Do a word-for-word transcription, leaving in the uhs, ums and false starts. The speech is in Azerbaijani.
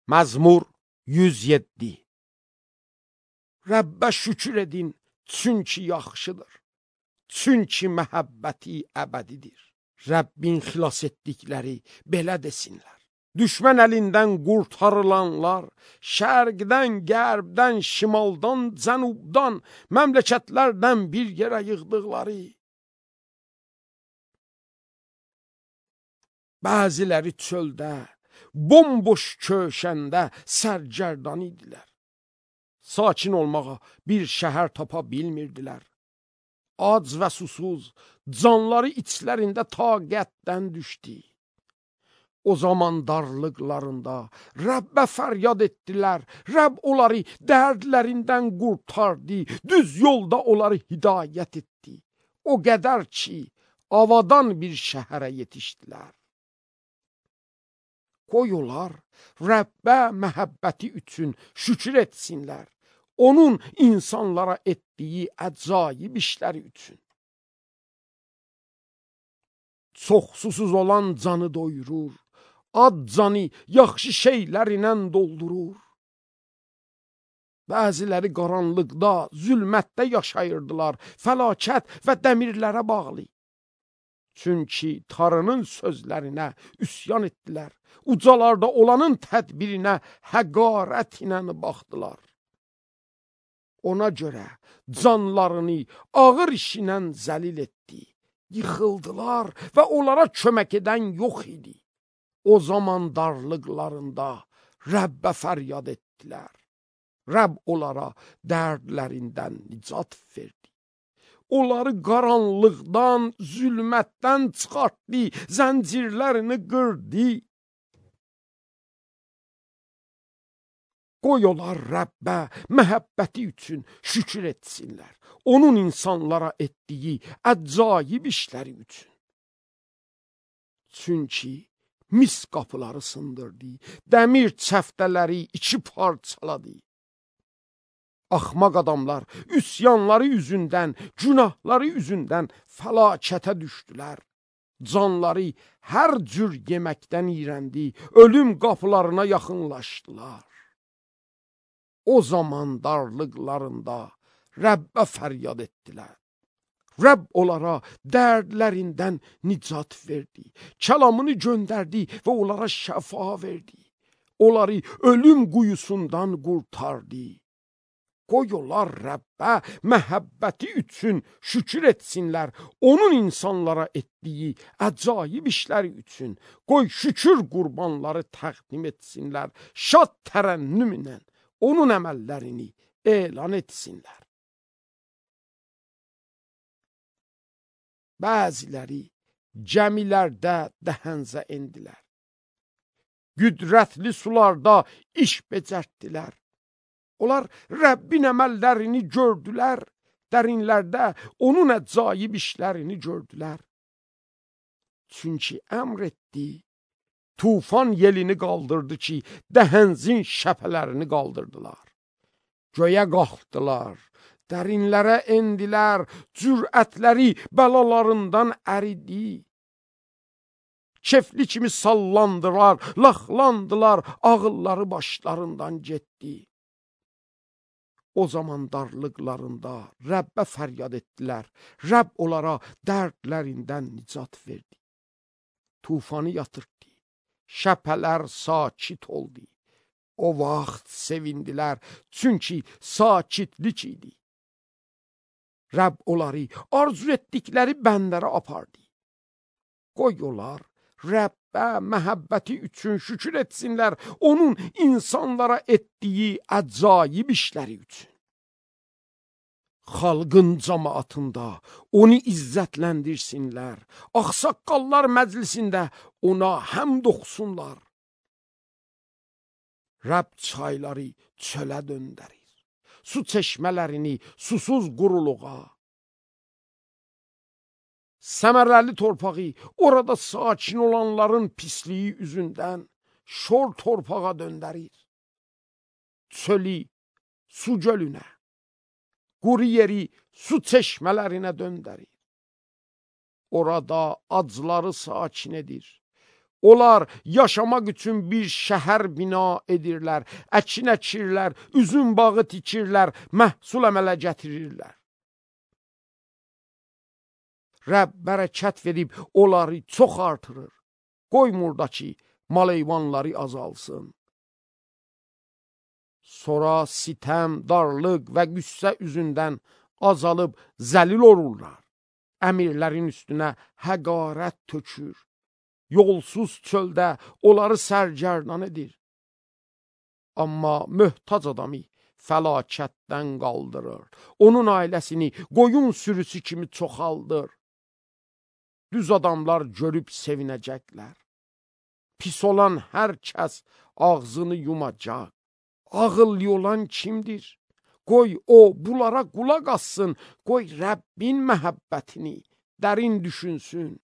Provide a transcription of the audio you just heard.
Məzmur yüz yeddi. Rəbbə şükür edin, çünki yaxşıdır. Çünki məhəbbəti əbədidir. Rəbbin xilas etdikləri belə desinlər. Düşmən əlindən qurtarılanlar, şərqdən, qərbdən, şimaldan, cənubdan, məmləkətlərdən bir yerə yığdıqları. Bəziləri çöldə, bomboş köşəndə sərgərdan idilər. Sakin olmağa bir şəhər tapa bilmirdilər. Ac və susuz, canları içlərində taqətdən düşdü. O zaman darlıqlarında Rəbbə fəryad etdilər. Rəbb onları dərdlərindən qurtardı, düz yolda onları hidayət etdi. O qədər ki, avadan bir şəhərə yetişdilər. Qoy onlar Rəbbə məhəbbəti üçün şükür etsinlər. Onun insanlara etdiyi əcaib işləri üçün. Çox susuz olan canı doyurur, ad canı yaxşı şeylərlə doldurur. Bəziləri qaranlıqda, zülmətdə yaşayırdılar, fəlakət və dəmirlərə bağlı. Çünki Tanrının sözlərinə üsyan etdilər, ucalarda olanın tədbirinə həqarət ilə baxdılar. Ona görə canlarını ağır işlə zəlil etdi, yıxıldılar və onlara kömək edən yox idi. O zaman darlıqlarında Rəbbə fəryad etdilər. Rəbb onlara dərdlərindən nicat verdi. Onları qaranlıqdan, zülmətdən çıxartdı, zəncirlərini qırdı. Qoy onlar Rəbbə məhəbbəti üçün şükür etsinlər. Onun insanlara etdiyi əcaib işləri üçün. Çünki mis qapıları sındırdı, dəmir çəftələri iki parçaladı. Axmaq adamlar üsyanları üzündən, günahları üzündən fəlakətə düşdülər. Canları hər cür yeməkdən iyrəndi, ölüm qapılarına yaxınlaşdılar. O zaman darlıqlarında Rəbbə fəryad etdilər. Rəbb onlara dərdlərindən nicat verdi, kəlamını göndərdi və onlara şəfa verdi. Onları ölüm quyusundan qurtardı. Qoy onlar Rəbbə məhəbbəti üçün şükür etsinlər, onun insanlara etdiyi əcaib işləri üçün. Qoy şükür qurbanları təqdim etsinlər, şad tərənnümlə onun əməllərini elan etsinlər. Bəziləri gəmilərdə dəhənzə endilər. Qüdrətli sularda iş becərtdilər. Onlar Rəbbin əməllərini gördülər, dərinlərdə onun əcaib işlərini gördülər. Çünki əmr etdi, tufan yelini qaldırdı ki, dəhənzin şəpələrini qaldırdılar. Göyə qalxdılar, dərinlərə endilər, cürətləri bəlalarından əridi. Kefli kimi sallandılar, laxlandılar, ağılları başlarından getdi. O zaman darlıqlarında Rəbbə fəryad etdilər. Rəbb onlara dərdlərindən nicat verdi. Tufanı yatırtdı. Şəpələr sakit oldu. O vaxt sevindilər, çünki sakitlik idi. Rəbb onları arzu etdikləri bəndlərə apardı. Qoy onlar Rəbbə məhəbbəti üçün şükür etsinlər, onun insanlara etdiyi əcaib işləri üçün. Xalqın cəmaatında onu izzətləndirsinlər, ağsaqqallar məclisində ona həmd oxusunlar. Rəbb çayları çölə döndərir, su çeşmələrini susuz quruluğa. Səmərəli torpağı orada sakin olanların pisliyi üzündən şor torpağa döndərir. Çölü su gölünə, quru yeri su çeşmələrinə döndərir. Orada acları sakin edir. Onlar yaşamaq üçün bir şəhər bina edirlər, əkin əkirlər, üzüm bağı tikirlər, məhsul əmələ gətirirlər. Rəbb bərəkət verib onları çox artırır. Qoymur da ki, mal-heyvanları azalsın. Sonra sitəm, darlıq və qüssə üzündən azalıb zəlil olurlar. Əmirlərin üstünə həqarət tökür. Yolsuz çöldə onları sərgərdan edir. Amma möhtac adamı fəlakətdən qaldırır. Onun ailəsini qoyun sürüsü kimi çoxaldır. Düz adamlar görüb sevinəcəklər. Pis olan hər kəs ağzını yumacaq. Ağıllı olan kimdir? Qoy o bunlara qulaq assın. Qoy Rəbbin məhəbbətini dərin düşünsün.